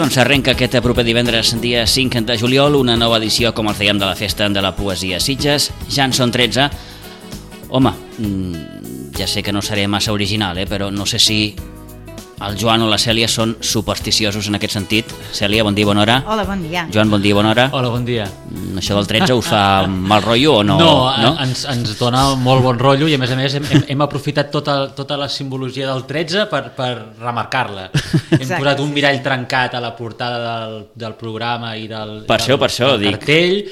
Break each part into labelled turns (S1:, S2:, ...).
S1: Doncs arrenca aquest proper divendres, dia 5 de juliol, una nova edició, com els dèiem, de la Festa de la Poesia Sitges. Ja en són 13. Home, ja sé que no seré massa original, però no sé si el Joan o la Cèlia són supersticiosos en aquest sentit. Cèlia, bon dia, bona hora.
S2: Hola, bon dia.
S1: Joan, bon dia, bona hora.
S3: Hola, bon dia.
S1: Això del 13 us fa mal rotllo o no?
S3: No? Ens dona molt bon rotllo i a més hem aprofitat tota la simbologia del 13 per remarcar-la. Hem posat un mirall trencat a la portada del programa i del cartell.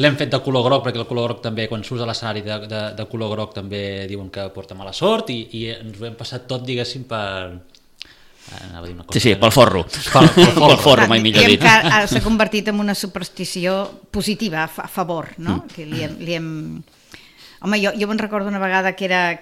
S3: L'hem fet de color groc perquè el color groc també, quan surts a l'escenari de color groc també diuen que porta mala sort i ens ho hem passat tot, diguéssim,
S1: Sí, pel forro. Pel forro, mai millor dit.
S2: S'ha convertit en una superstició positiva, a favor, no? Que li hem... Home, jo me'n recordo una vegada que era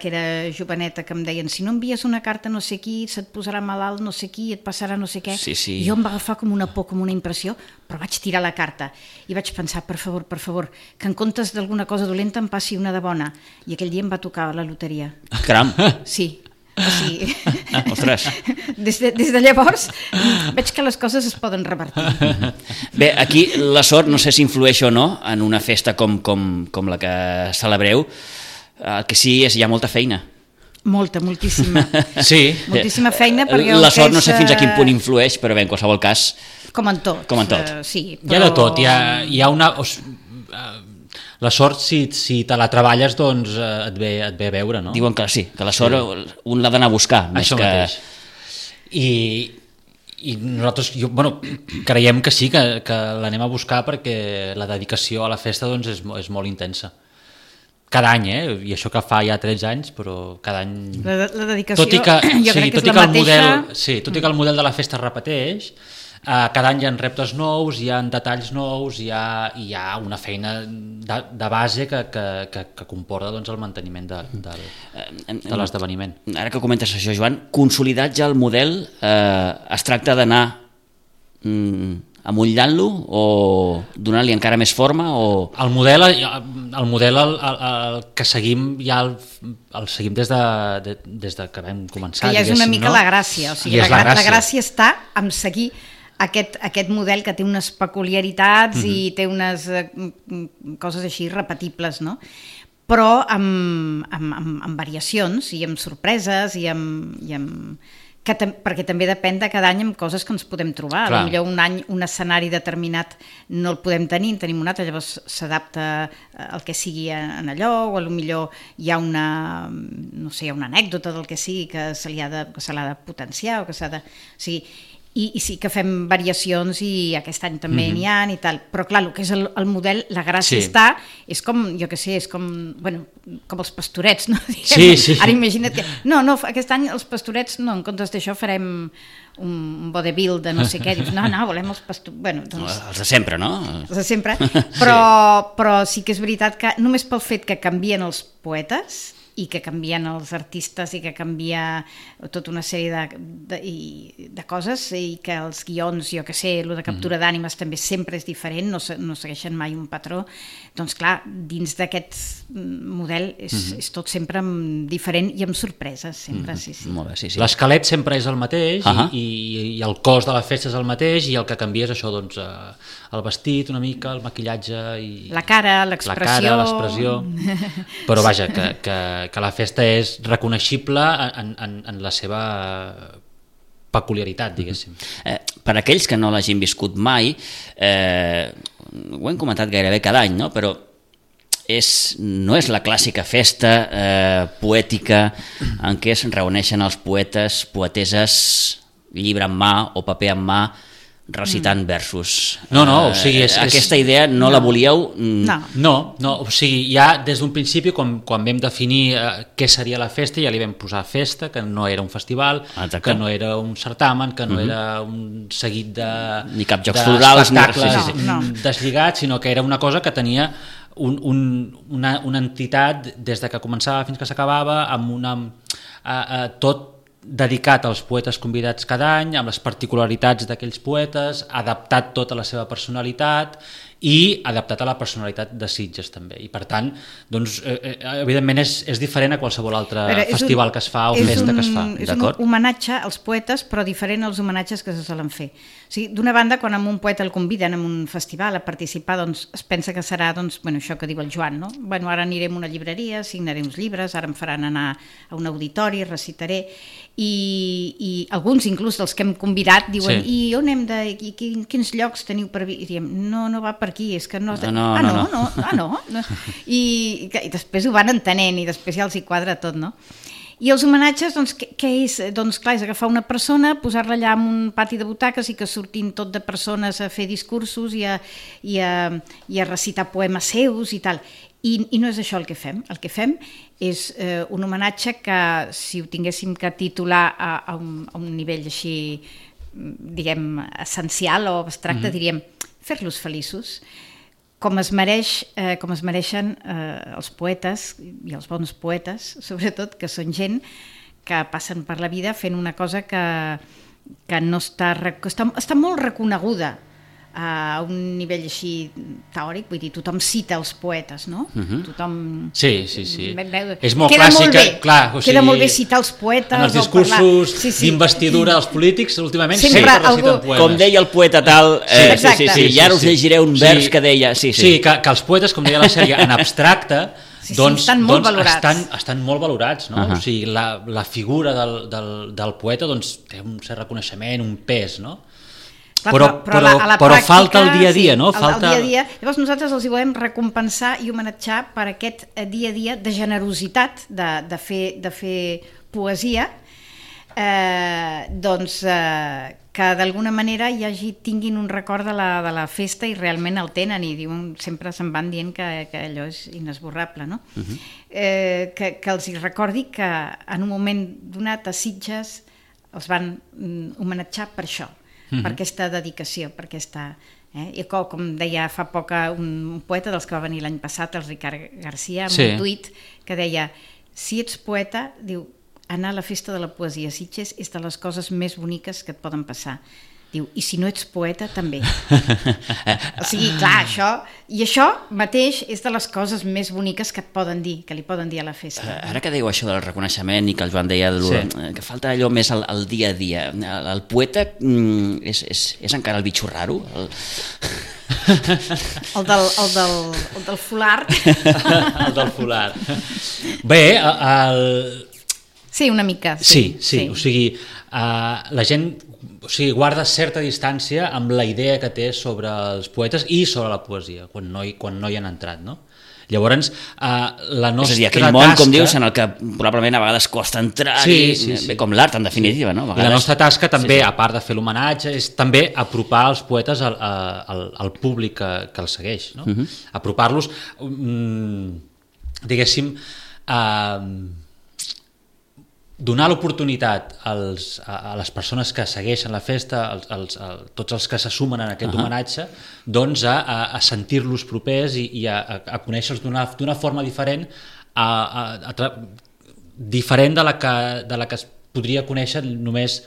S2: joveneta, que em deien, si no envies una carta a no sé qui, se't posarà malalt no sé qui, et passarà no sé què.
S1: Sí.
S2: Jo em va agafar com una por, com una impressió, però vaig tirar la carta i vaig pensar, per favor, que en comptes d'alguna cosa dolenta em passi una de bona. I aquell dia em va tocar la loteria.
S1: Caram!
S2: Sí. O sigui,
S1: ostres.
S2: Des de llavors veig que les coses es poden revertir.
S1: Bé, aquí la sort no sé si influeix o no en una festa com la que celebreu. El que sí és hi ha molta feina.
S2: Moltíssima.
S3: Sí.
S2: Moltíssima feina perquè
S1: la sort no sé fins a quin punt influeix, però bé, en qualsevol cas...
S2: Com en tot. Sí, però...
S3: Hi ha de tot, hi ha una... La sort, si te la treballes, doncs et ve a veure, no?
S1: Diuen que sí, que la sort un l'ha d'anar a buscar.
S3: Això mateix. I nosaltres, creiem que sí, que l'anem a buscar perquè la dedicació a la festa doncs, és molt intensa. Cada any, i això que fa ja 13 anys, però cada any...
S2: La dedicació jo crec que és la mateixa...
S3: Tot i que el model de la festa es repeteix, cada any hi ha reptes nous, hi ha detalls nous, hi ha una feina de base que comporta doncs, el manteniment de l'esdeveniment.
S1: Ara que comentes això, Joan, consolidat ja el model, es tracta d'anar amollant-lo o donant-li encara més forma?
S3: El model que seguim ja el seguim des de que vam començar.
S2: Que ja és una mica la gràcia, o sigui, la gràcia està en seguir aquest model que té unes peculiaritats i té unes coses així repetibles, no? Però amb variacions i amb sorpreses perquè també depèn de cada any amb coses que ens podem trobar. Potser un any un escenari determinat no el podem tenir, en tenim un altre, llavors s'adapta el que sigui en allò, o potser hi ha una anècdota del que sigui que se l'ha de potenciar o que s'ha de... O sigui, i sí que fem variacions i aquest any també n'hi ha i tal, però clar, el que és el model, la gràcia està, és com, jo què sé, és com els pastorets, no?
S3: Sí.
S2: Ara imagina't que, no, aquest any els pastorets, no, en comptes d'això farem un vodevil de no sé què, dius, no, volem els pastorets, bueno, doncs...
S1: Els de sempre, no?
S2: Els de sempre, però sí que és veritat que només pel fet que canvien els poetes i que canvien els artistes i que canvia tota una sèrie de coses i que els guions, jo que sé, el de captura d'ànimes també sempre és diferent, no segueixen mai un patró, doncs clar, dins d'aquest model és tot sempre diferent i amb sorpreses, sempre, sí.
S1: Molt bé, sí.
S3: L'esquelet sempre és el mateix i el cos de la festa és el mateix i el que canvia és això, doncs, el vestit una mica, el maquillatge i...
S2: La cara, l'expressió...
S3: Però vaja, que la festa és reconeixible en la seva peculiaritat, diguéssim.
S1: Per aquells que no l'hagin viscut mai, ho hem comentat gairebé cada any, no? Però no és la clàssica festa poètica en què es reuneixen els poetes, poeteses, llibre en mà o paper en mà, recitant versos.
S3: No, o sigui...
S1: Aquesta idea no la volíeu?
S3: No, o sigui, ja des d'un principi, quan vam definir què seria la festa, ja li vam posar festa, que no era un festival, que no era un certamen, que no era un seguit de...
S1: Ni cap jocs florals,
S3: d'espectacles deslligats, sinó que era una cosa que tenia una entitat des de que començava fins que s'acabava, amb tot dedicat als poetes convidats cada any, amb les particularitats d'aquells poetes, adaptat tota la seva personalitat i adaptat a la personalitat de Sitges també, i per tant doncs, evidentment és diferent a qualsevol altre festival que es fa o festa que es fa.
S2: És un homenatge als poetes, però diferent als homenatges que se solen fer. O sigui, d'una banda, quan a un poeta el conviden a un festival a participar, doncs es pensa que serà això que diu el Joan, no? Ara anirem a una llibreria, signaré uns llibres, ara em faran anar a un auditori, recitaré, i alguns inclús dels que hem convidat diuen, i on hem de... i quins llocs teniu per dir? I diem, no va per aquí, és que no... No. I després ho van entenent i després ja els hi quadra tot, no? I els homenatges, doncs, què és? Doncs clar, és agafar una persona, posar-la allà en un pati de butaques i que surtin tot de persones a fer discursos i a recitar poemes seus i tal. I no és això el que fem. El que fem és un homenatge que, si ho tinguéssim que titular a un nivell així, diguem, essencial o abstracte, diríem fer-los feliços, com es mereixen els poetes i els bons poetes, sobretot, que són gent que passen per la vida fent una cosa que no està molt reconeguda a un nivell així teòric, vull dir, tothom cita els poetes, no? Tothom...
S3: Sí. És molt clàssic, clar.
S2: Queda molt bé citar els poetes.
S3: En els discursos d'investidura dels polítics, últimament sempre reciten poemes.
S1: Com deia el poeta tal... Sí, i ara us llegiré un vers que deia... Sí,
S3: que els poetes, com deia la sèrie, en abstracte, doncs estan molt valorats, no? O sigui, la figura del poeta té un cert reconeixement, un pes, no? Però falta el dia a dia, no?
S2: El dia a dia. Llavors nosaltres els hi volem recompensar i homenatjar per aquest dia a dia de generositat, de fer poesia, que d'alguna manera tinguin un record de la festa i realment el tenen i sempre se'n van dient que allò és inesborrable, no? Que els hi recordi que en un moment donat a Sitges els van homenatjar per això, per aquesta dedicació, per aquesta... I com deia fa poc un poeta dels que va venir l'any passat, el Ricard Garcia, amb un tuit que deia, si ets poeta, diu, anar a la festa de la poesia a Sitges és de les coses més boniques que et poden passar. Diu, i si no ets poeta, també. O sigui, clar, això mateix és de les coses més boniques que et poden dir, que li poden dir a la festa.
S1: Ara que dèieu això del reconeixement i que el Joan deia que falta allò més al dia a dia, el poeta és encara el bitxo raro?
S2: El del folar.
S3: El del folar. Bé,
S2: Sí, una mica.
S3: Sí. O sigui, la gent guarda certa distància amb la idea que té sobre els poetes i sobre la poesia, quan no hi han entrat, no? Llavors, la nostra tasca... És a dir, aquell món, com dius, en el que probablement a vegades costa entrar, com l'art, en definitiva, no? I la nostra tasca també, a part de fer l'homenatge, és també apropar els poetes al públic que els segueix, no? Apropar-los, diguéssim, donar l'oportunitat a les persones que segueixen la festa, tots els que se sumen en aquest homenatge, doncs a sentir-los propers i a conèixer-los d'una forma diferent, diferent de la que es podria conèixer només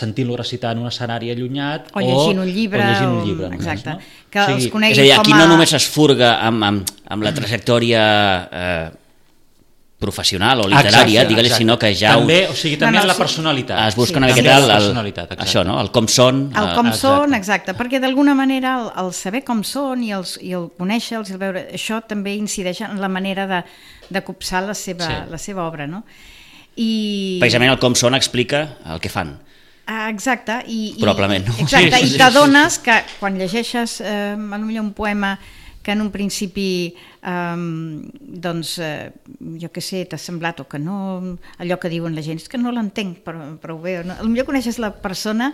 S3: sentint-lo recitar en un escenari allunyat
S2: o llegint un llibre.
S3: Només,
S2: exacte.
S3: No?
S2: Que els
S1: coneguin és a dir, aquí no només es furga amb la trajectòria professional o literària, digue-li, sinó que ja...
S3: També la personalitat.
S1: Es busca una miqueta això, no? El com són.
S2: El com són, exacte, perquè d'alguna manera el saber com són i el conèixer-los i el veure, això també incideix en la manera de copsar la seva obra, no?
S1: Precisament el com són explica el que fan.
S2: Exacte.
S1: Probablement, no?
S2: Exacte, i t'adones que quan llegeixes potser un poema que en un principi jo què sé, t'ha semblat o que no, allò que diuen la gent, és que no l'entenc prou bé, no? Potser coneixes la persona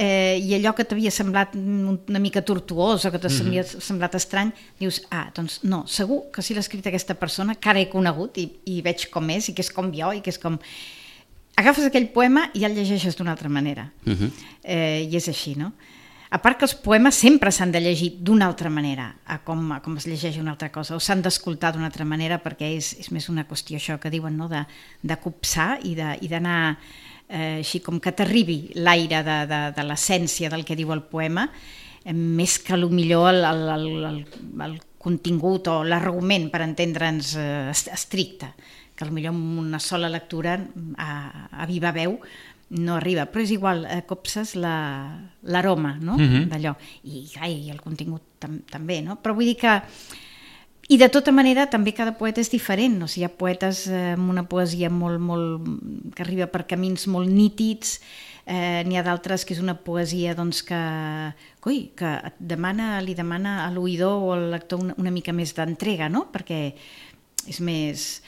S2: i allò que t'havia semblat una mica tortuós o que t'havia semblat estrany, dius, doncs no, segur que si l'ha escrit aquesta persona, que ara he conegut i veig com és i que és com jo i que és com... Agafes aquell poema i ja el llegeixes d'una altra manera. I és així, no? A part que els poemes sempre s'han de llegir d'una altra manera, com es llegeix una altra cosa, o s'han d'escoltar d'una altra manera, perquè és més una qüestió, això que diuen, no? de copsar i d'anar així com que t'arribi l'aire de l'essència del que diu el poema, més que millor el contingut o l'argument, per entendre'ns, estricte, que potser amb una sola lectura a viva veu no arriba, però és igual, copses l'aroma, no? D'allò, i el contingut també, no? Però vull dir que, i de tota manera també cada poeta és diferent, no? Hi ha poetes amb una poesia molt que arriba per camins molt nítids, n'hi ha d'altres que és una poesia doncs, que li demana a l'oïdor o al lector una mica més d'entrega, no? Perquè és més...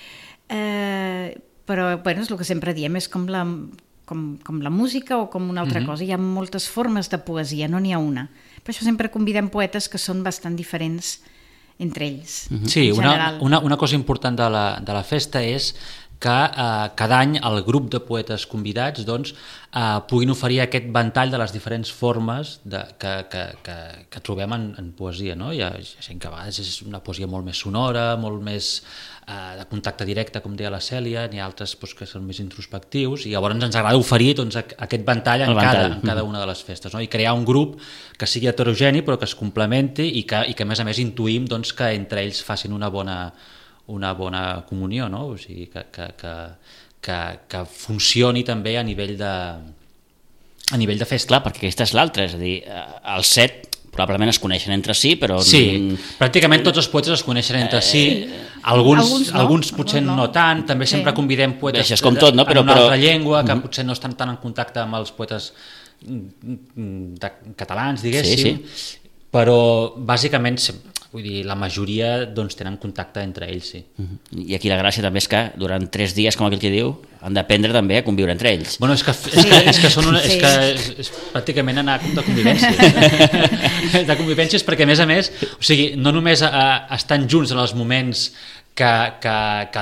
S2: però bueno, és el que sempre diem, és com la música o com una altra cosa. Hi ha moltes formes de poesia, no n'hi ha una. Per això sempre convidem poetes que són bastant diferents entre ells.
S3: Sí, una cosa important de la festa és que cada any el grup de poetes convidats doncs, puguin oferir aquest ventall de les diferents formes que trobem en poesia. No? Hi ha gent que a vegades és una poesia molt més sonora, molt més de contacte directe, com deia la Cèlia, n'hi ha altres doncs, que són més introspectius, i llavors ens agrada oferir doncs, aquest ventall en cada una de les festes, no? I crear un grup que sigui heterogeni però que es complementi i que a més intuïm doncs, que entre ells facin una bona comunió, no? O sigui, que funcioni també a nivell de festa.
S1: Clar, perquè aquesta és l'altra, és a dir, els 7 probablement es coneixen entre si, però...
S3: Sí, pràcticament tots els poetes es coneixen entre si, alguns potser no tant, també sempre convidem poetes
S1: com tot, no?
S3: en una altra llengua, que potser no estan tan en contacte amb els poetes catalans, diguéssim, però bàsicament... Vull dir, la majoria doncs, tenen contacte entre ells, sí.
S1: I aquí la gràcia també és que durant 3 dies, com aquell que diu, han d'aprendre també a conviure entre ells.
S3: Bueno, és que és pràcticament anar de convivències. De convivències perquè, a més, o sigui, no només estan junts en els moments que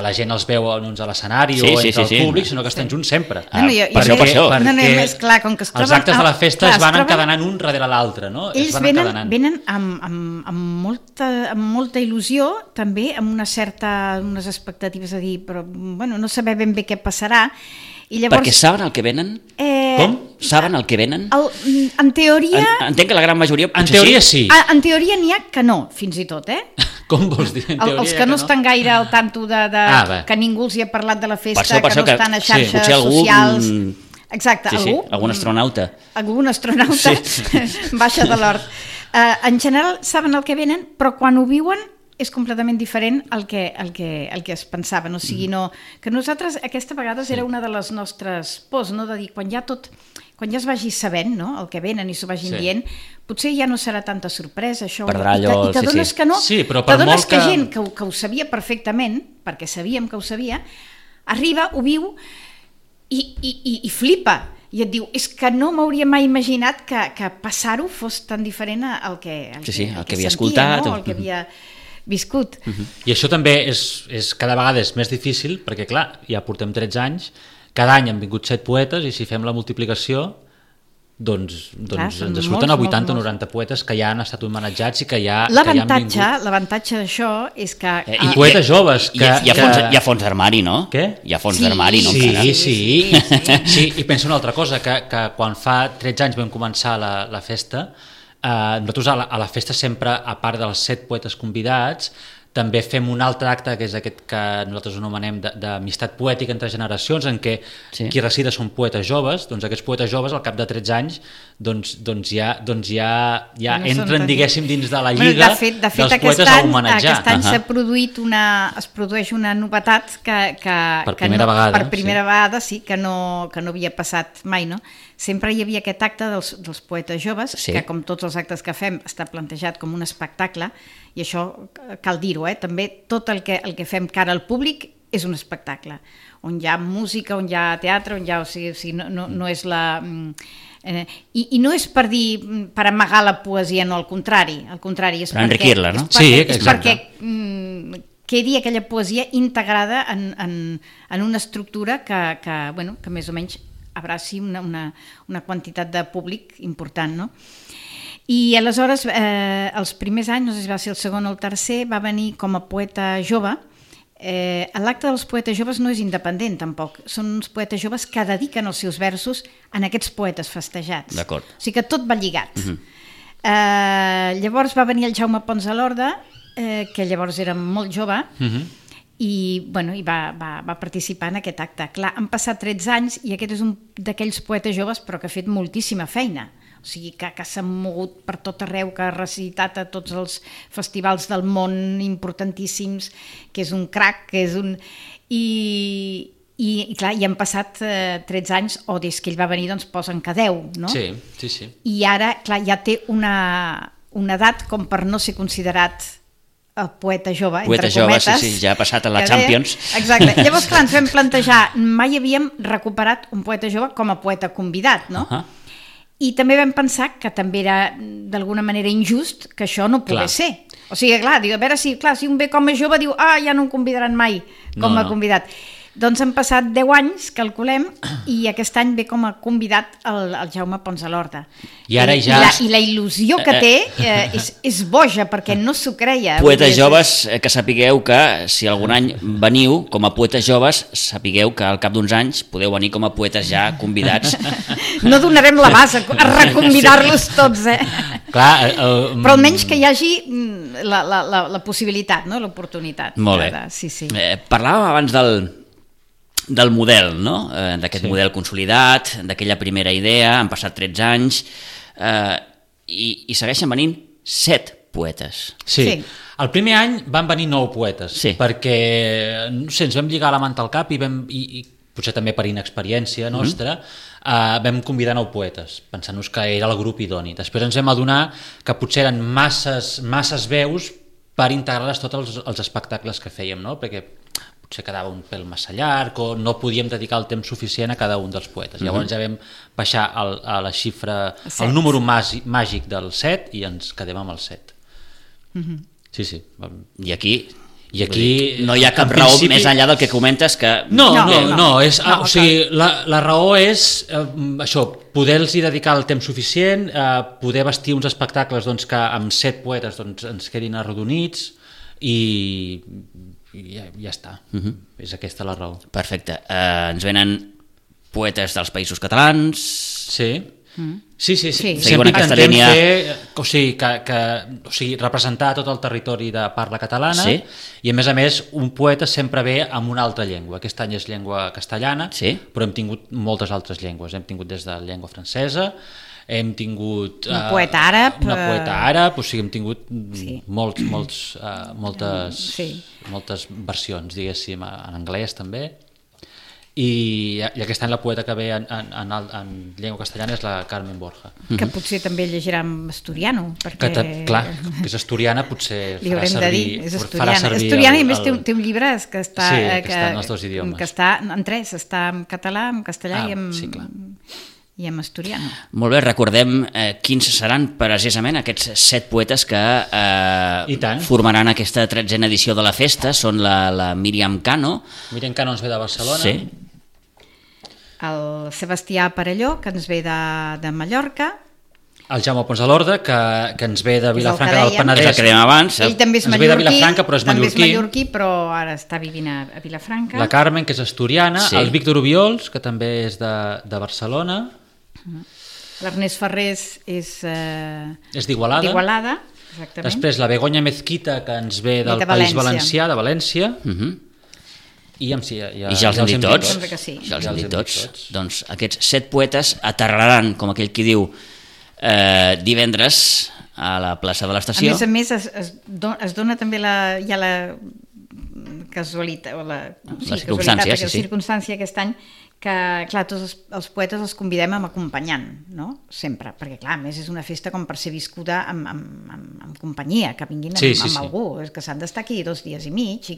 S3: la gent els veu a l'escenari o entre el públic, sinó que estan junts sempre.
S1: Per això.
S3: Els actes de la festa es van encadenant un darrere l'altre, no?
S2: Ells venen amb molta il·lusió, també amb unes expectatives, a dir, però bueno, no saber ben bé què passarà. I llavors,
S1: perquè saben el que venen? Com? Saben el que venen?
S2: En teoria...
S1: Entenc que la gran majoria...
S3: En teoria sí.
S2: En teoria n'hi ha que no, fins i tot,
S3: Com vols dir?
S2: Els que no estan gaire al tanto que ningú els hi ha parlat de la festa, que no estan a xarxes socials... Exacte,
S1: algun astronauta.
S2: Algun astronauta baixa de l'hort. En general saben el que venen, però quan ho viuen és completament diferent al que es pensaven. O sigui, que nosaltres aquesta vegada era una de les nostres pors, no? De dir, quan ja es vagi sabent, no? El que venen i s'ho vagin dient, potser ja no serà tanta sorpresa, això.
S1: Perdrà allò...
S2: I t'adones que no,
S3: t'adones
S2: que gent que ho sabia perfectament, perquè sabíem que ho sabia, arriba, ho viu i flipa. I et diu, és que no m'hauria mai imaginat que passar-ho fos tan diferent al que
S1: havia escoltat,
S2: no? El que havia viscut.
S3: I això també és cada vegada és més difícil, perquè clar, ja portem 13 anys, cada any han vingut 7 poetes, i si fem la multiplicació, doncs ens surten a 80 o 90 poetes que ja han estat homenatjats i que ja han vingut.
S2: L'avantatge d'això és que...
S3: I poetes joves.
S1: Hi ha fons d'armari, no?
S3: Què?
S1: Hi ha fons d'armari, no?
S3: Sí, i penso una altra cosa, que quan fa 13 anys vam començar la festa, nosaltres a la festa sempre, a part dels 7 poetes convidats, també fem un altre acte, que és aquest que nosaltres anomenem d'amistat poètica entre generacions, en què qui recita són poetes joves, doncs aquests poetes joves al cap de 13 anys ja entren, diguéssim, dins de la lliga dels poetes a homenatjar.
S2: Aquest any es produeix una novetat
S3: per primera
S2: vegada, sí, que no havia passat mai, no? Sempre hi havia aquest acte dels poetes joves, que com tots els actes que fem està plantejat com un espectacle, i això cal dir-ho, també tot el que fem cara al públic és un espectacle, on hi ha música, on hi ha teatre, on hi ha... O sigui, no és la... I no és per dir, per amagar la poesia, no, al contrari, és
S1: per enriquir-la, no?
S2: És perquè quedi aquella poesia integrada en una estructura que més o menys abraci una quantitat de públic important, no? I aleshores, els primers anys, no sé si va ser el segon o el tercer, va venir com a poeta jove. L'acte dels poetes joves no és independent, tampoc. Són uns poetes joves que dediquen els seus versos a aquests poetes festejats.
S1: D'acord.
S2: O sigui que tot va lligat. Llavors va venir el Jaume Pons a l'Horda, que llavors era molt jove, i va participar en aquest acte. Clar, han passat 13 anys i aquest és un d'aquells poetes joves però que ha fet moltíssima feina. O sigui, que s'ha mogut per tot arreu, que ha recitat a tots els festivals del món importantíssims, que és un crac, que és un... I clar, i han passat 13 anys, o des que ell va venir doncs posen que 10, no?
S3: Sí.
S2: I ara, clar, ja té una edat com per no ser considerat el poeta jove, entre cometes.
S1: Sí, ja ha passat a la Champions.
S2: Exacte. Llavors, clar, ens vam plantejar, mai havíem recuperat un poeta jove com a poeta convidat, no? I també vam pensar que també era d'alguna manera injust que això no pogués ser. O sigui, clar, diu, a veure si un ve com a jove diu, ja no em convidaran mai com a convidat. Doncs han passat 10 anys, calculem, i aquest any ve com a convidat el Jaume Pons a l'Horda.
S3: I ara ja...
S2: I la il·lusió que té és boja, perquè no s'ho creia.
S1: Poetes joves, que sapigueu que si algun any veniu com a poetes joves, sapigueu que al cap d'uns anys podeu venir com a poetes ja convidats.
S2: No donarem la base a reconvidar-los tots,
S3: Clar,
S2: però almenys que hi hagi la possibilitat, no? L'oportunitat.
S1: Molt bé.
S2: Sí.
S1: Parlàvem abans del model, no? D'aquest model consolidat, d'aquella primera idea, han passat 13 anys i segueixen venint 7 poetes.
S3: Sí. El primer any van venir 9 poetes, perquè no sé, ens vam lligar la manta al cap i potser també per inexperiència nostra, vam convidar 9 poetes, pensant-nos que era el grup idoni. Després ens vam adonar que potser eren masses veus per integrar-les tots els espectacles que fèiem, no? Perquè potser quedava un pèl massa llarg o no podíem dedicar el temps suficient a cada un dels poetes. Llavors ja vam baixar a la xifra, el número màgic del 7 i ens quedem amb el 7. Sí.
S1: I aquí no hi ha cap raó més enllà del que comentes que...
S3: No, o sigui, la raó és això, poder-los dedicar el temps suficient, poder vestir uns espectacles doncs, que amb 7 poetes doncs, ens quedin arrodonits i ja està. És aquesta la raó.
S1: Perfecte. Ens venen poetes dels Països Catalans...
S3: Sí. Sempre intentem fer, o sigui, representar tot el territori de parla catalana i a més un poeta sempre ve amb una altra llengua. Aquest any és llengua castellana, però hem tingut moltes altres llengües. Hem tingut des de llengua francesa, hem tingut
S2: una poeta àrab,
S3: o sigui, hem tingut moltes versions, diguéssim, en anglès també. I aquest any la poeta que ve en llengua castellana és la Carmen Borja.
S2: Que potser també llegirà en asturiano.
S3: Clar, que és asturiana, potser farà servir...
S2: Asturiana, i més té un llibre que està
S3: en els 2 idiomes.
S2: Que està en 3, està en català, en castellà i en asturiano.
S1: Molt bé, recordem quins seran precisament aquests 7 poetes que formaran aquesta 13a edició de la festa. Són la Míriam Cano.
S3: Míriam Cano ens ve de Barcelona.
S1: Sí.
S2: El Sebastià Parelló, que ens ve de Mallorca.
S3: El Jaume Pons a l'Horda, que ens ve de Vilafranca del Penedès.
S1: És el que dèiem abans.
S2: Ell també és
S3: mallorquí, ve de Vilafranca, però és
S2: mallorquí, però ara està vivint a Vilafranca.
S3: La Carmen, que és asturiana. El Víctor Obiols, que també és de Barcelona.
S2: L'Ernest Ferrés és
S3: d'Igualada.
S2: Exactament.
S3: Després la Begoña Mezquita, que ens ve del País Valencià, de València. I
S1: ja els hem dit tots. Ja els hem dit tots. Doncs aquests 7 poetes aterraran, com aquell qui diu, divendres a la plaça de l'Estació.
S2: A més, es dona també la casualitat o la circumstància aquest any que, clar, tots els poetes els convidem amb acompanyant, no? Sempre, perquè, clar, a més és una festa com per ser viscuda amb companyia, que vinguin amb algú, és que s'han d'estar aquí 2 dies i mig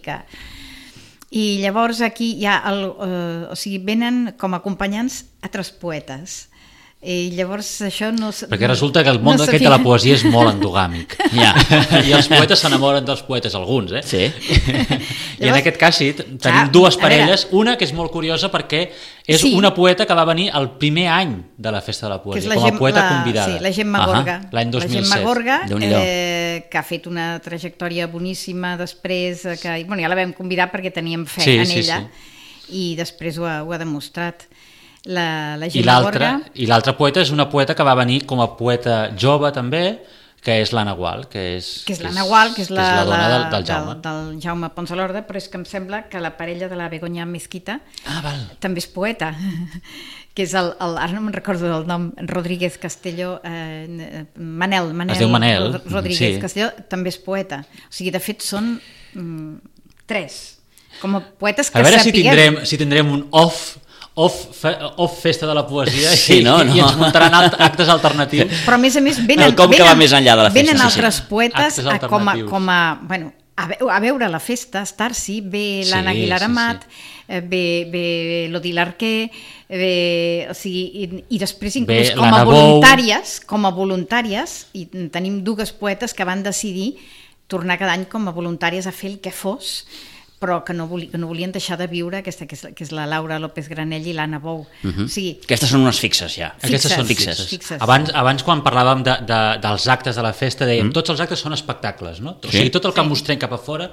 S2: i llavors aquí hi ha o sigui, venen com a acompanyants altres poetes. I llavors això no...
S3: Perquè resulta que el món aquest de la poesia és molt endogàmic. I els poetes s'enamoren dels poetes, alguns,
S1: Sí.
S3: I en aquest cas sí, tenim 2 parelles, una que és molt curiosa perquè és una poeta que va venir el primer any de la Festa de la Poesia, com a poeta convidada.
S2: Sí, la Gemma Gorga.
S3: L'any 2007.
S2: La Gemma Gorga, que ha fet una trajectòria boníssima després, que ja la vam convidar perquè teníem fe en ella, i després ho ha demostrat. la Gemma Gorga.
S3: I l'altre poeta és una poeta que va venir com a poeta jove també, que és l'Anna Gual, que és
S2: l'Anna Gual, que és la
S3: dona del Jaume.
S2: Del Jaume Pons de l'Orde, però és que em sembla que la parella de la Begoña Mesquita també és poeta, que és ara no me'n recordo del nom, Rodríguez Castelló, Manel
S3: es diu Manel,
S2: Rodríguez Castelló, també és poeta. O sigui, de fet, són 3, com a poetes que sapiguem.
S3: A veure si tindrem un off festa de la poesia i ens muntaran actes alternatius.
S2: Però a més
S1: venen
S2: altres poetes a veure la festa, a estar-s'hi, ve l'Anna Aguilar Amat, ve l'Odil Arquer, o sigui, i després inclús com a voluntàries, i tenim 2 poetes que van decidir tornar cada any com a voluntàries a fer el que fos, però que no volien deixar de viure, aquesta que és la Laura López Granell i l'Anna Bou. O sigui,
S1: aquestes són unes fixes, ja.
S3: Aquestes són fixes. Abans, quan parlàvem dels actes de la festa, dèiem tots els actes són espectacles, no? O sigui, tot el que mostrem cap a fora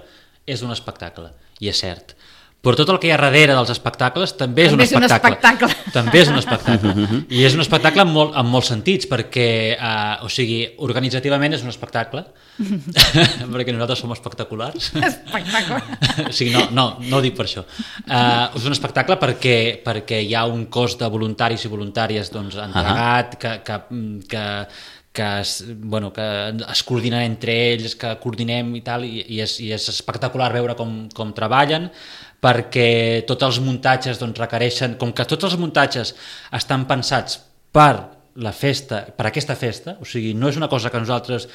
S3: és un espectacle, i és cert. Però tot el que hi ha darrere dels espectacles també és un espectacle. També és un espectacle. I és un espectacle en molts sentits, perquè, o sigui, organitzativament és un espectacle, perquè nosaltres som espectaculars.
S2: Espectacle.
S3: O sigui, no ho dic per això. És un espectacle perquè hi ha un cos de voluntaris i voluntàries entregat, que es coordinen entre ells, que coordinem i tal, i és espectacular veure com treballen, perquè tots els muntatges requereixen, com que tots els muntatges estan pensats per aquesta festa, o sigui, no és una cosa que nosaltres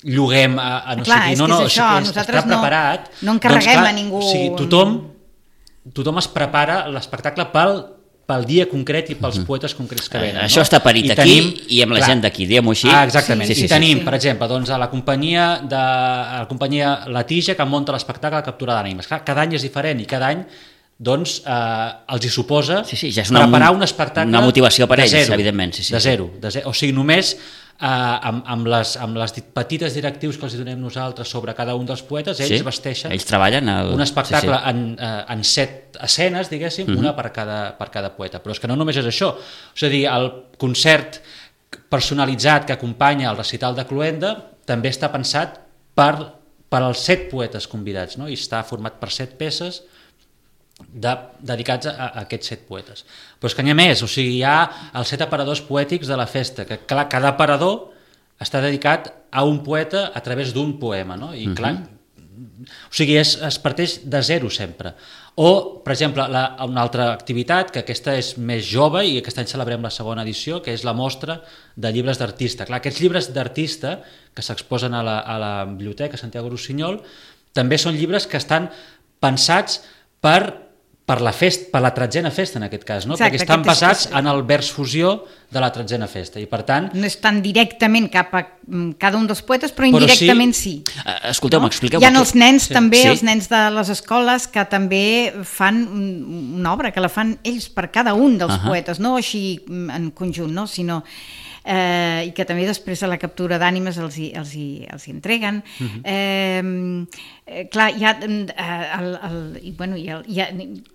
S3: lloguem a no sé qui, està preparat.
S2: No encarreguem a ningú.
S3: O sigui, tothom es prepara l'espectacle pel dia concret i pels poetes concrets que venen.
S1: Això està parit aquí i amb la gent d'aquí, diguem-ho així.
S3: Exactament. I tenim, per exemple, a la companyia La Tija, que munta l'espectacle Captura d'Ànimes. Cada any és diferent i cada any els hi suposa preparar un espectacle
S1: una motivació per ells, evidentment.
S3: De zero. O sigui, només amb les petites directius que els donem nosaltres sobre cada un dels poetes, ells vesteixen un espectacle en 7 escenes, diguéssim, una per cada poeta. Però és que no només és això, és a dir, el concert personalitzat que acompanya el recital de Cluenda també està pensat per als 7 poetes convidats, no? I està format per 7 peces dedicats a aquests 7 poetes. Però és que n'hi ha més, o sigui, hi ha els 7 aparadors poètics de la festa, que clar, cada aparador està dedicat a un poeta a través d'un poema, no? I clar, o sigui, es parteix de zero sempre. O, per exemple, una altra activitat, que aquesta és més jove i aquest any celebrem la 2a edició, que és la mostra de llibres d'artista. Clar, aquests llibres d'artista que s'exposen a la Biblioteca Santiago Rossinyol també són llibres que estan pensats per la 13a festa, en aquest cas, no? Exacte, perquè estan basats en el vers fusió de la 13a festa, i per tant...
S2: No és tan directament cap a cada un dels poetes, però indirectament sí.
S1: Escolteu-me, expliqueu-me.
S2: Hi ha els nens també, els nens de les escoles, que també fan una obra, que la fan ells per cada un dels poetes, no així en conjunt, no? Sinó... i que també després de la captura d'ànimes els hi entreguen. Clar, hi ha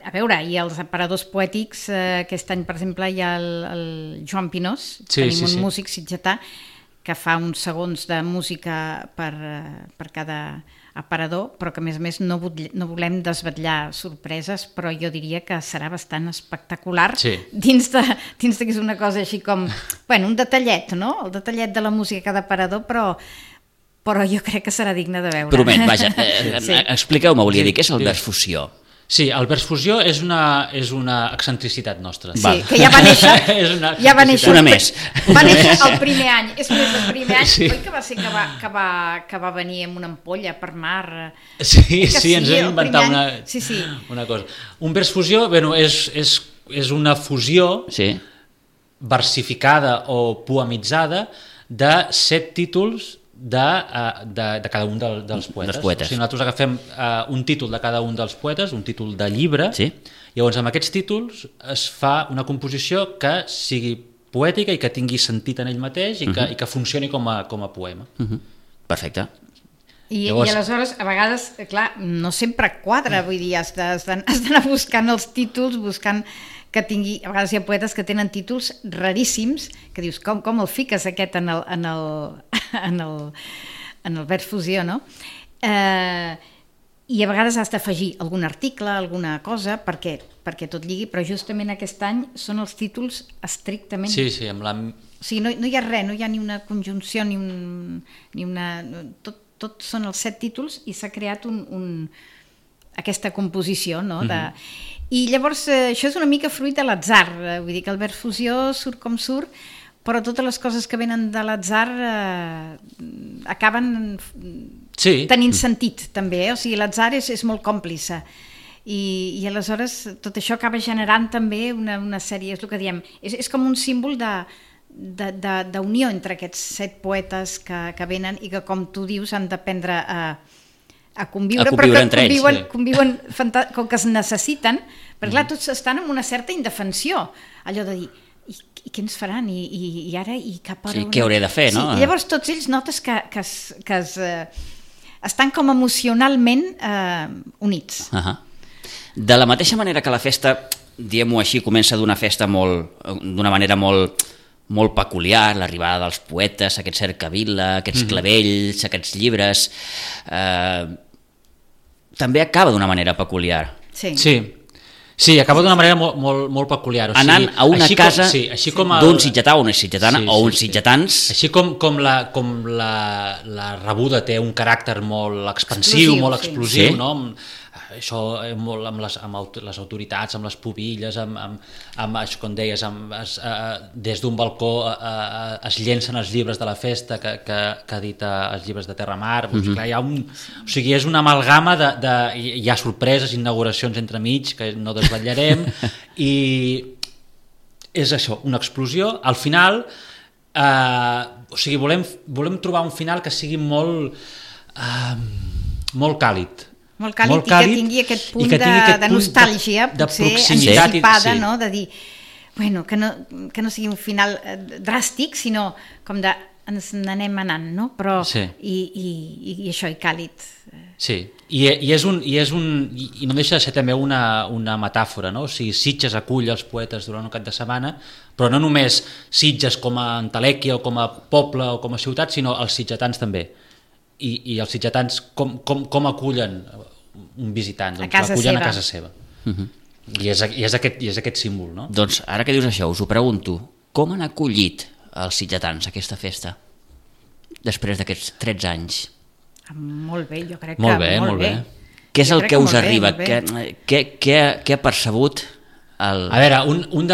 S2: a veure, hi ha els aparadors poètics, aquest any per exemple hi ha el Joan Pinós, tenim un músic sitgetà que fa uns segons de música per cada aparador, però que a més no volem desvetllar sorpreses, però jo diria que serà bastant espectacular dins de que és una cosa així com, un detallet, no? El detallet de la música a cada aparador, però jo crec que serà digne de veure.
S1: Promet, vaja, expliqueu-me, volia dir, què és el vers fusió?
S3: Sí, el vers fusió és una excentricitat nostra.
S2: Sí, que ja va néixer...
S1: Una més.
S2: Va néixer el primer any. És més, el primer any, oi que va ser que va venir amb una ampolla per mar?
S3: Sí, ens vam inventar una cosa. Un vers fusió, és una fusió versificada o poemitzada de 7 títols de cada un dels poetes. O sigui, nosaltres agafem un títol de cada un dels poetes, un títol de llibre, llavors amb aquests títols es fa una composició que sigui poètica i que tingui sentit en ell mateix i que funcioni com a poema.
S1: Perfecte.
S2: I aleshores, a vegades, clar, no sempre quadra, vull dir, has d'anar buscant els títols, buscant que tingui... A vegades hi ha poetes que tenen títols raríssims, que dius, com el fiques aquest en el vers fusió, no? I a vegades has d'afegir algun article, alguna cosa, perquè tot lligui, però justament aquest any són els títols estrictament...
S3: Sí, amb la...
S2: O sigui, no hi ha res, no hi ha ni una conjunció, ni una... Tot són els 7 títols i s'ha creat aquesta composició, no? I llavors això és una mica fruit de l'atzar, vull dir que el vers fusió surt com surt, però totes les coses que venen de l'atzar acaben tenint sentit també, o sigui, l'atzar és molt còmplice i aleshores tot això acaba generant també una sèrie, és el que diem, és com un símbol d'unió entre aquests 7 poetes que venen i que, com tu dius, han d'aprendre a conviure, però que conviuen com que es necessiten, perquè clar, tots estan en una certa indefensió, allò de dir, i què ens faran? I ara, i cap hora...
S1: Sí, què hauré de fer, no?
S2: I llavors tots ells notes que estan com emocionalment units.
S1: De la mateixa manera que la festa, diguem-ho així, comença d'una manera molt peculiar, l'arribada dels poetes, aquest cercavila, aquests clavells, aquests llibres, també acaba d'una manera peculiar.
S3: Sí, acaba d'una manera molt peculiar.
S1: Anant a una casa d'un sitgetà o una sitgetana o uns sitgetans.
S3: Així com la rebuda té un caràcter molt expansiu, molt explosiu, no? Això molt amb les autoritats, amb les pubilles, amb això com deies, des d'un balcó es llencen els llibres de la festa que edita els llibres de Terramar. Clar, o sigui, és una amalgama hi ha sorpreses, inauguracions entremig que no desvetllarem i és això, una explosió. Al final, o sigui, volem trobar un final que sigui molt càlid.
S2: Molt càlid, i que tingui aquest punt de nostàlgia, potser anticipada, no? De dir, bueno, que no sigui un final dràstic, sinó com de ens n'anem anant, no? Però, i això, i càlid.
S3: Sí, i no deixa de ser també una metàfora, no? O sigui, Sitges acull els poetes durant un cap de setmana, però no només Sitges com a entelèquia o com a poble o com a ciutat, sinó els sitgetans també. I els sitgetans com acullen un visitant? Doncs l'acullen a casa seva. I és aquest símbol, no?
S1: Doncs ara que dius això, us ho pregunto, com han acollit els sitgetans aquesta festa després d'aquests 13 anys?
S2: Molt bé, jo crec que molt bé.
S1: Què és el que us arriba? Què ha percebut el...
S3: A veure, un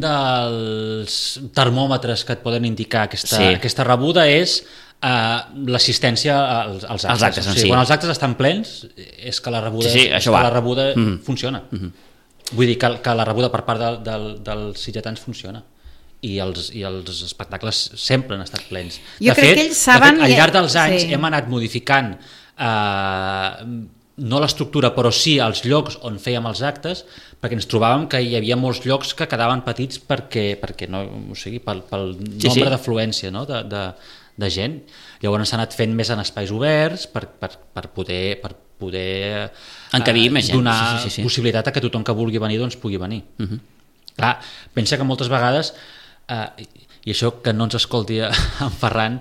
S3: dels termòmetres que et poden indicar aquesta rebuda és l'assistència als actes. O sigui, quan els actes estan plens és que la rebuda funciona. Vull dir que la rebuda per part dels sitgetans funciona i els espectacles sempre han estat plens.
S2: Jo crec que ells saben...
S3: Al llarg dels anys hem anat modificant no l'estructura, però sí els llocs on fèiem els actes, perquè ens trobàvem que hi havia molts llocs que quedaven petits perquè no, o sigui, pel nombre d'afluència, no? de gent. Llavors s'ha anat fent més en espais oberts per poder
S1: encabir més gent.
S3: Donar possibilitat a que tothom que vulgui venir doncs pugui venir. Clar, pensa que moltes vegades, i això que no ens escolti en Ferran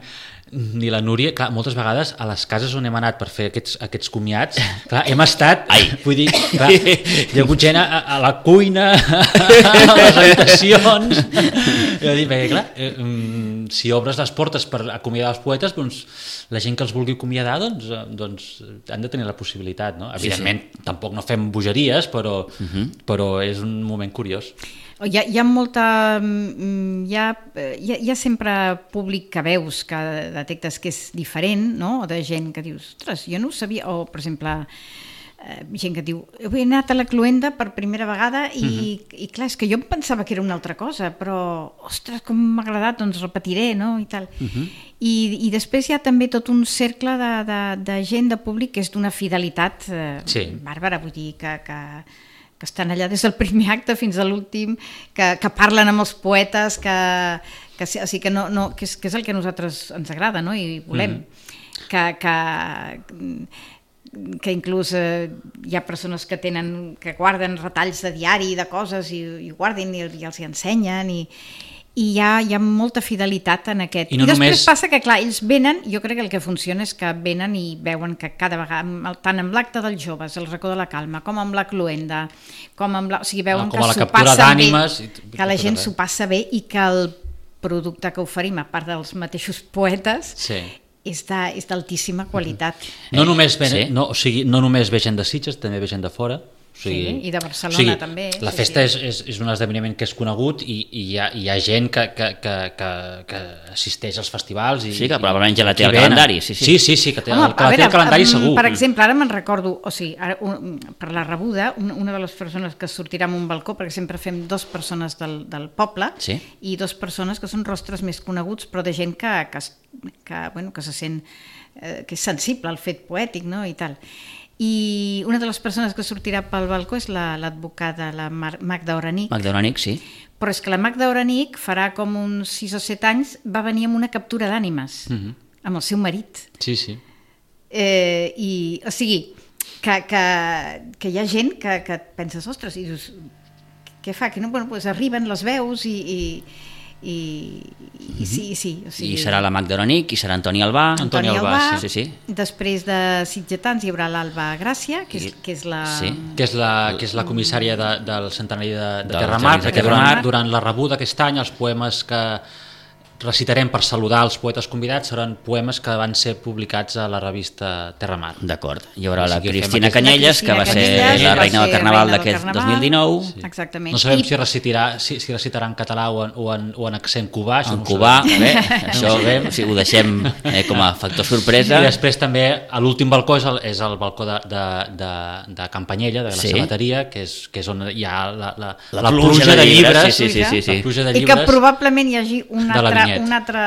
S3: ni la Núria, clar, moltes vegades a les cases on hem anat per fer aquests comiats, clar, hem estat, vull dir, clar, hi ha hagut gent a la cuina, a les habitacions, perquè clar, si obres les portes per acomiadar els poetes, doncs la gent que els vulgui acomiadar doncs han de tenir la possibilitat, no? Evidentment, tampoc no fem bogeries, però és un moment curiós.
S2: Hi ha molta... Hi ha sempre públic que veus, que detectes que és diferent, no? De gent que dius, ostres, jo no ho sabia, o per exemple, gent que diu, he anat a la Cluenda per primera vegada i clar, és que jo em pensava que era una altra cosa, però, ostres, com m'ha agradat, doncs repetiré, no? I tal. I després hi ha també tot un cercle de gent, de públic, que és d'una fidelitat bàrbara, vull dir que estan allà des del primer acte fins a l'últim, que parlen amb els poetes, que és el que a nosaltres ens agrada, no? I volem. que inclús hi ha persones que guarden retalls de diari de coses i guarden i els hi ensenyen i hi ha molta fidelitat en aquest. I després passa que, clar, ells venen, jo crec que el que funciona és que venen i veuen que cada vegada, tant amb l'acte dels joves, el racó de la calma, com amb la cluenda, o sigui, veuen que s'ho passa bé, que la gent s'ho passa bé i que el producte que oferim, a part dels mateixos poetes, és d'altíssima qualitat.
S3: No només ve gent de Sitges, també ve gent de fora.
S2: I de Barcelona també.
S3: La festa és un esdeveniment que és conegut i hi ha gent que assisteix als festivals.
S1: Sí, que probablement ja la té al calendari.
S3: Sí, que la té al calendari segur.
S2: Per exemple, ara me'n recordo, o sigui, per la rebuda, una de les persones que sortirà en un balcó, perquè sempre fem 2 persones del poble i 2 persones que són rostres més coneguts, però de gent que se sent, que és sensible al fet poètic, no?, i tal. I una de les persones que sortirà pel balcó és l'advocada, la Magda Oranic.
S1: Magda Oranic, sí.
S2: Però és que la Magda Oranic farà com uns 6 o 7 anys va venir amb una captura d'ànimes, amb el seu marit.
S3: Sí.
S2: O sigui, que hi ha gent que et penses, ostres, i dius, què fa? Que no, bueno, doncs arriben, les veus i sí. O sigui,
S1: I serà la Magda Oranic, i serà Antoni Albà.
S2: Antoni Albà.
S1: Sí.
S2: Després de Sitgetans hi haurà l'Alba Gràcia, que és la...
S3: Sí, que és la comissària del centenari de Terramar, perquè durant la rebuda aquest any els poemes que recitarem per saludar els poetes convidats seran poemes que van ser publicats a la revista Terramar.
S1: D'acord. Hi haurà la Cristina Canyelles, que va ser la reina del Carnaval d'aquest 2019.
S2: Sí. Exactament.
S3: No sabem si recitarà en català o en accent cubà.
S1: En cubà, bé, això ho deixem com a factor sorpresa.
S3: I després també l'últim balcó és el balcó de Campanyella, de la sabateria, que és on hi ha la pluja de llibres.
S2: I que probablement hi hagi una altra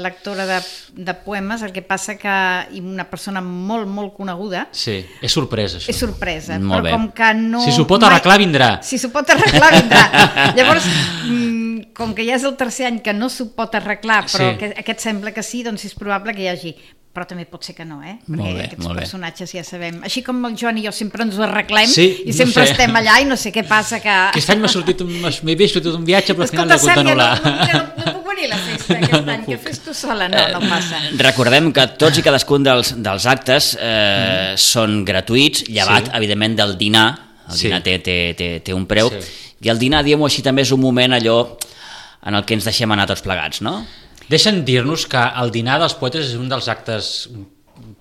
S2: lectora de poemes, el que passa que una persona molt, molt coneguda...
S3: Sí, és sorpresa, això.
S2: És sorpresa,
S1: molt
S2: però
S1: bé.
S2: com que no...
S3: Si s'ho pot arreglar, vindrà.
S2: Si s'ho pot arreglar, vindrà. Llavors, com que ja és el 3è any que no s'ho pot arreglar, però que aquest sembla que sí, doncs és probable que hi hagi... Però també pot ser que no, perquè aquests personatges ja sabem. Així com el Joan i jo sempre ens ho arreglem i sempre estem allà i no sé què passa que...
S3: Aquest any m'he sortit un viatge, però al final l'he hagut d'anul·lar.
S2: No puc venir a la festa aquest any, que fes tu sola, no passa.
S1: Recordem que tots i cadascun dels actes són gratuïts, llevat, evidentment, del dinar. El dinar té un preu, i el dinar, diguem-ho així, també és un moment allò en el que ens deixem anar tots plegats, no?
S3: Deixen dir-nos que el dinar dels poetes és un dels actes...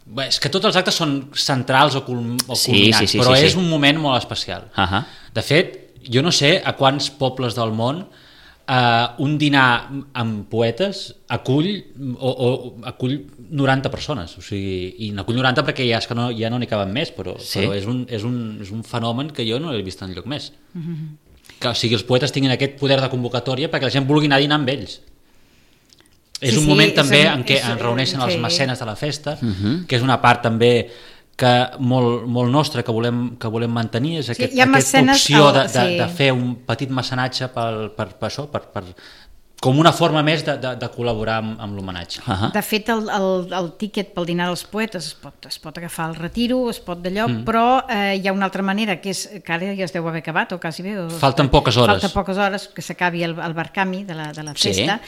S3: Bé, és que tots els actes són centrals o culminants, però és un moment molt especial. De fet, jo no sé a quants pobles del món un dinar amb poetes acull 90 persones, o sigui, i n'acull 90 perquè ja no n'hi caben més, però és un fenomen que jo no l'he vist enlloc més. Que, o sigui, els poetes tinguin aquest poder de convocatòria perquè la gent vulgui anar a dinar amb ells. És un moment també en què es reuneixen els mecenes de la festa, que és una part també que molt nostra que volem mantenir, és aquesta opció de fer un petit mecenatge com una forma més de col·laborar amb l'homenatge.
S2: De fet, el tíquet pel dinar dels poetes es pot agafar al retiro, es pot d'allò, però hi ha una altra manera, que és que ara ja es deu haver acabat, o quasi bé.
S3: Falten poques hores.
S2: Falta poques hores que s'acabi el barcami de la festa.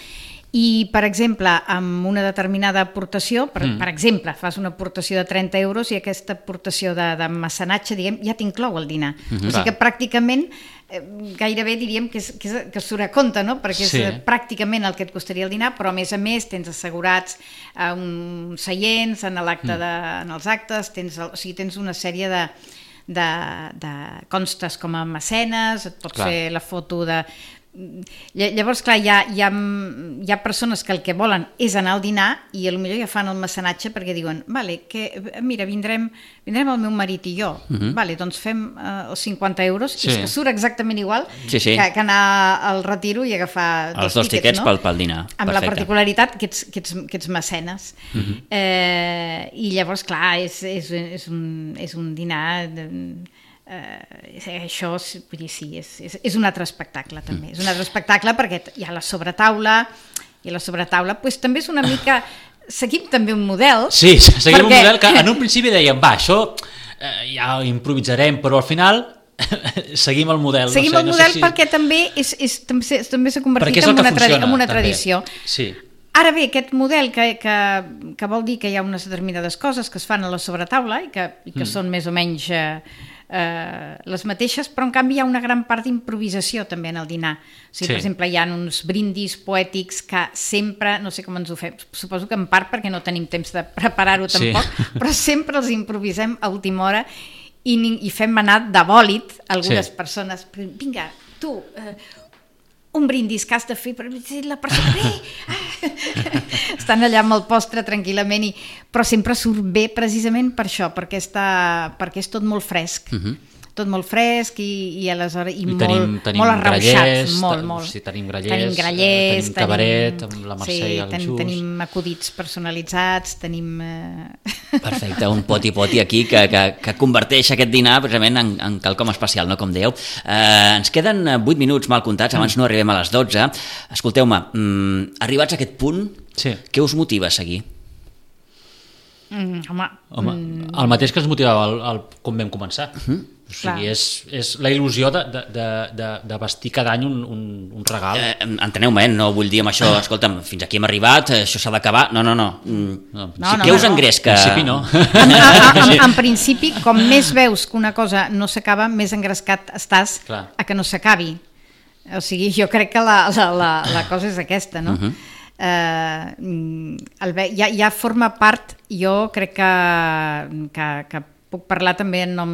S2: I, per exemple, amb una determinada aportació, per exemple, fas una aportació de 30 euros i aquesta aportació de mecenatge, diguem, ja t'inclou el dinar. O sigui que pràcticament, gairebé diríem que surt a compte, no? Perquè és pràcticament el que et costaria el dinar, però a més tens assegurats uns seients en els actes, tens una sèrie de constes com a mecenes, et pot fer la foto de... Llavors, clar, hi ha persones que el que volen és anar al dinar i potser ja fan el mecenatge perquè diuen, mira, vindrem el meu marit i jo, doncs fem els 50 euros, és que surt exactament igual que anar al retiro i agafar
S1: els dos tiquets pel dinar.
S2: Amb la particularitat que ets mecenes. I llavors, clar, és un dinar... això, vull dir, sí, és un altre espectacle també, és un altre espectacle perquè hi ha la sobretaula i la sobretaula també és una mica seguim també un model.
S3: Sí, seguim un model que en un principi dèiem, va, això ja improvisarem, però al final seguim el model.
S2: Seguim el model perquè també també s'ha convertit en una tradició.
S3: Sí.
S2: Ara bé, aquest model que vol dir que hi ha unes determinades coses que es fan a la sobretaula i que són més o menys les mateixes, però en canvi hi ha una gran part d'improvisació també en el dinar. O sigui, per exemple, hi ha uns brindis poètics que sempre, no sé com ens ho fem, suposo que en part perquè no tenim temps de preparar-ho tampoc, però sempre els improvisem a última hora i fem anar de bòlit algunes persones. Vinga, tu, un brindis que has de fer per la persona bé, estan allà amb el postre tranquil·lament, però sempre surt bé precisament per això, perquè és tot molt fresc, tot molt fresc i aleshores molt arrauxat, molt.
S3: Sí, tenim grallers, tenim cabaret amb la Mercè i el Just.
S2: Tenim acudits personalitzats, tenim...
S1: Perfecte, un poti-poti aquí que converteix aquest dinar precisament en quelcom especial, no, com dèieu. Ens queden 8 minuts mal comptats, abans no arribem a les 12. Escolteu-me, arribats a aquest punt, què us motiva a seguir?
S2: Home,
S3: el mateix que ens motivava com vam començar. O sigui, és la il·lusió de vestir cada any un regal.
S1: Enteneu-me, no vull dir amb això, escolta'm, fins aquí hem arribat, això s'ha d'acabar. No. Què us engresca?
S3: En principi no.
S2: En principi, com més veus que una cosa no s'acaba, més engrescat estàs a que no s'acabi. O sigui, jo crec que la cosa és aquesta, no? Ja forma part, jo crec que puc parlar també en nom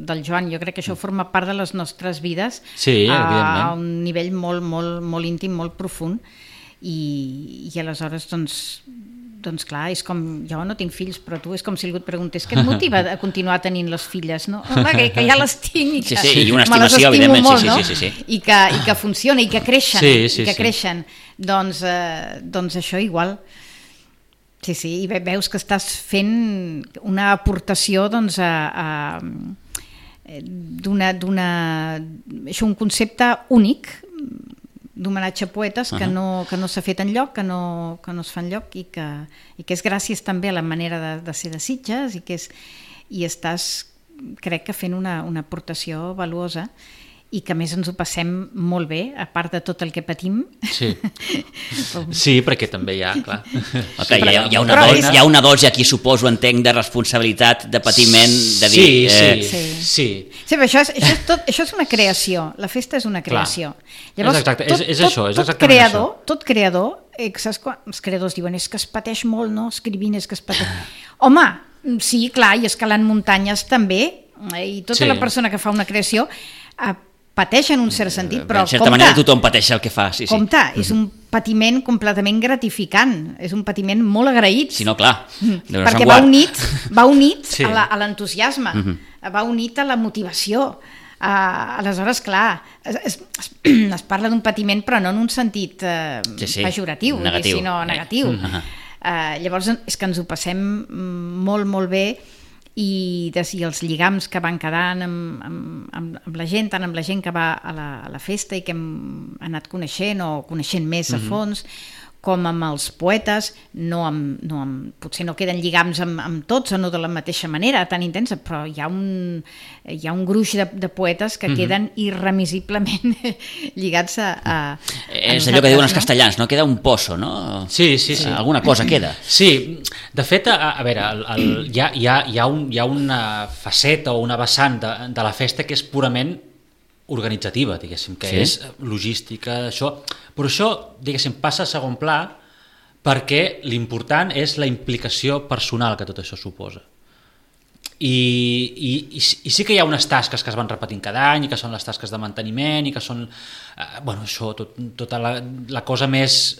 S2: del Joan, jo crec que això forma part de les nostres vides a un nivell molt íntim, molt profund i aleshores doncs clar, és com, jo no tinc fills, però tu és com si algú et preguntés què et motiva a continuar tenint les filles, no? Home, que ja les tinc i que
S1: i una estimació, evidentment,
S2: molt, no? I que funciona i que creixen, doncs això igual. Sí, i veus que estàs fent una aportació doncs un concepte únic d'homenatge a poetes que no s'ha fet enlloc, que no es fa enlloc i que és gràcies també a la manera de ser de Sitges i estàs, crec que fent una aportació valuosa i que a més ens ho passem molt bé, a part de tot el que patim.
S3: Sí, perquè també hi ha, clar.
S1: Hi ha una dosi aquí, suposo, entenc, de responsabilitat, de patiment, de dir...
S3: Sí,
S2: però això és una creació, la festa és una creació. Llavors,
S3: és exactament això.
S2: Tot creador, saps quan els creadors diuen és que es pateix molt, no? Escrivint és que es pateix... Home, sí, clar, i escalant muntanyes també, i tota la persona que fa una creació pateix en un cert sentit, però
S1: en certa manera tothom pateix el que fa.
S2: Compte, és un patiment completament gratificant, és un patiment molt agraït.
S1: Si no, clar.
S2: Perquè va unit a l'entusiasme, va unit a la motivació. Aleshores, clar, es parla d'un patiment però no en un sentit pejoratiu, sinó negatiu. Llavors és que ens ho passem molt, molt bé i els lligams que van quedant amb la gent, tant amb la gent que va a la festa i que hem anat coneixent o coneixent més a fons, com amb els poetes, potser no queden lligams amb tots o no de la mateixa manera, tan intensa, però hi ha un gruix de poetes que queden irremisiblement lligats a
S1: és allò que diuen els castellans, no? Queda un pozo, no?
S3: Sí.
S1: Alguna cosa queda.
S3: Sí, de fet, a veure, hi ha una faceta o una vessant de la festa que és purament organitzativa, diguéssim, que és logística, això, però això, diguéssim, passa a segon pla perquè l'important és la implicació personal que tot això suposa. I sí que hi ha unes tasques que es van repetint cada any i que són les tasques de manteniment i que són, això, tota la cosa més,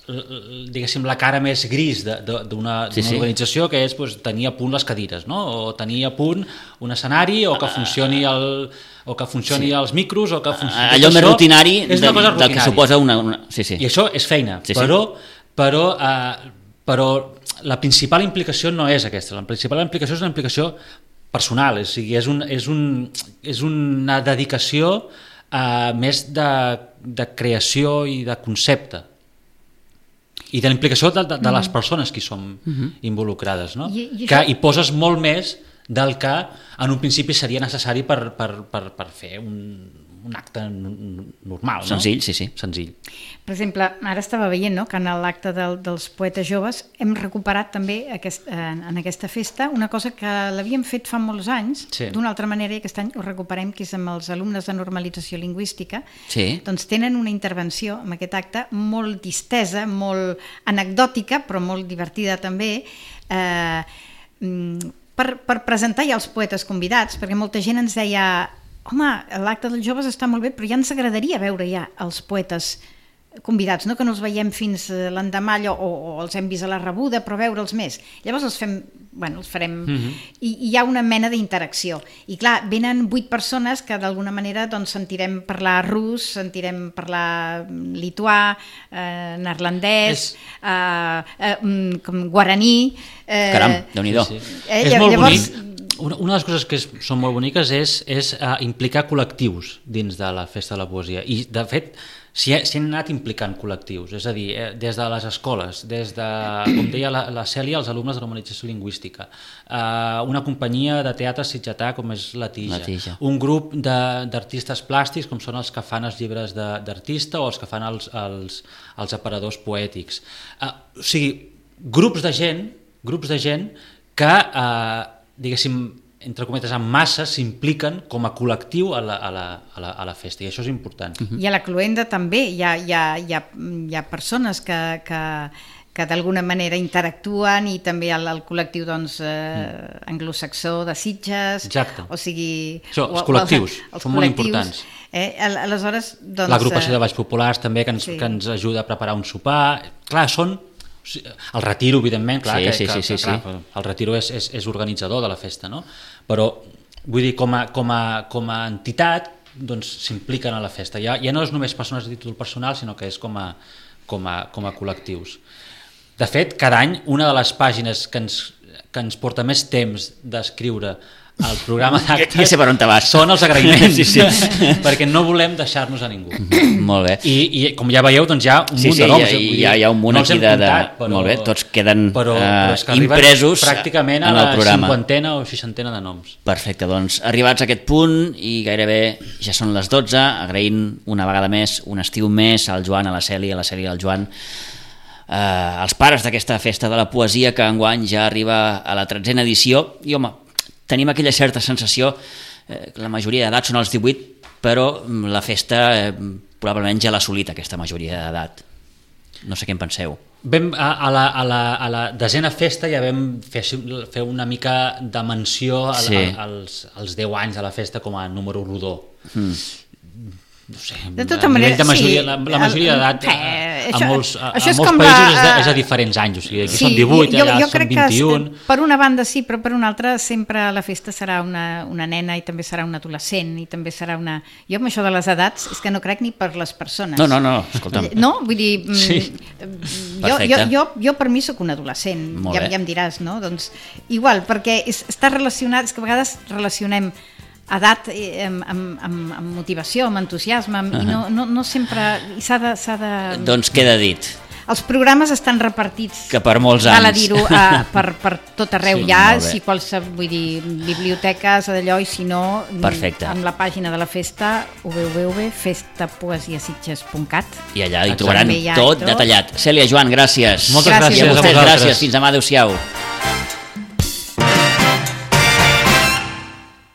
S3: diguéssim, la cara més gris d'una organització, que és tenir a punt les cadires, no? O tenir a punt un escenari, o que funcioni els micros, o que funcioni...
S1: Allò més rutinari del que suposa una...
S3: I això és feina, però la principal implicació no és aquesta, la principal implicació és una implicació personal, és una dedicació més de creació i de concepte. i de la implicació de les persones que hi som involucrades, no? Que hi poses molt més del que en un principi seria necessari per fer un acte normal, no?
S1: Senzill, sí.
S3: Senzill.
S2: Per exemple, ara estava veient, no?, que en l'acte dels poetes joves hem recuperat també en aquesta festa una cosa que l'havíem fet fa molts anys, d'una altra manera, i aquest any ho recuperem, que és amb els alumnes de normalització lingüística. Doncs tenen una intervenció en aquest acte molt distesa, molt anecdòtica, però molt divertida també, per presentar ja els poetes convidats, perquè molta gent ens deia: home, l'acte dels joves està molt bé, però ja ens agradaria veure ja els poetes convidats, no que no els veiem fins l'endemà o els hem vist a la rebuda, però veure'ls més. Llavors els farem i hi ha una mena d'interacció. I clar, venen 8 persones que d'alguna manera doncs, sentirem parlar rus, sentirem parlar lituà, neerlandès, guaraní...
S1: Caram, Déu-n'hi-do.
S3: És molt bonic. Una de les coses que són molt boniques és implicar col·lectius dins de la Festa de la Poesia. I, de fet, s'hi han anat implicant col·lectius, és a dir, des de les escoles, des de, com deia la Cèlia, els alumnes de normalització lingüística, una companyia de teatre sitgetà com és La Tija, un grup d'artistes plàstics com són els que fan els llibres d'artista o els que fan els aparadors poètics. O sigui, grups de gent que, diguéssim, entre cometes, en massa s'impliquen com a col·lectiu a la festa, i això és important.
S2: I a la Cluenda també hi ha persones que d'alguna manera interactuen, i també el col·lectiu anglosaxó de Sitges.
S3: Exacte.
S2: O sigui...
S3: Els col·lectius són molt importants.
S2: Aleshores,
S3: l'agrupació de Balls Populars també, que ens ajuda a preparar un sopar. Clar, són... El Retiro, evidentment, clar, el Retiro és organitzador de la festa, no? Però, vull dir, com a entitat, doncs s'impliquen a la festa. Ja no és només persones de títol personal, sinó que és com a col·lectius. De fet, cada any, una de les pàgines que ens porta més temps d'escriure el programa d'actes
S1: ja sé per on te vas.
S3: Són els agraïments, perquè no volem deixar-nos a ningú.
S1: Molt bé.
S3: I com ja veieu, doncs hi ha un munt de noms.
S1: Hi ha un munt aquí molt bé, tots queden impresos
S3: pràcticament
S1: en el programa.
S3: A la 50a o 60a de noms.
S1: Perfecte, doncs arribats a aquest punt i gairebé ja són les 12, agraint una vegada més, un estiu més al Joan, a la Cèlia i al Joan, els pares d'aquesta festa de la poesia que enguany ja arriba a la 13a edició. I home, tenim aquella certa sensació que la majoria d'edat són els 18, però la festa probablement ja l'ha assolit aquesta majoria d'edat. No sé què en penseu.
S3: A la 10a festa ja vam fer una mica de menció als 10 anys de la festa com a número rodó. No sé,
S2: de tota manera,
S3: la majoria d'edat a molts països és a diferents anys, o sigui, aquí són 18, allà són 21.
S2: Per una banda sí, però per una altra sempre la festa serà una nena i també serà un adolescent i també serà una... Jo amb això de les edats és que no crec ni per les persones.
S1: No, escolta'm.
S2: No, vull dir... Jo per mi sóc un adolescent, ja em diràs, no? Doncs igual, perquè està relacionat, és que a vegades relacionem edat amb motivació, amb entusiasme, i no sempre s'ha de...
S1: Doncs queda dit.
S2: Els programes estan repartits,
S1: que per molts anys,
S2: cal a dir-ho, per tot arreu, si vull dir, biblioteques, d'allò, i si no, amb la pàgina de la festa, www.festapoesiasitges.cat,
S1: i allà hi trobaran tot detallat. Cèlia, Joan, gràcies.
S3: Moltes gràcies
S1: a vosaltres. Gràcies, fins demà, adeu-siau.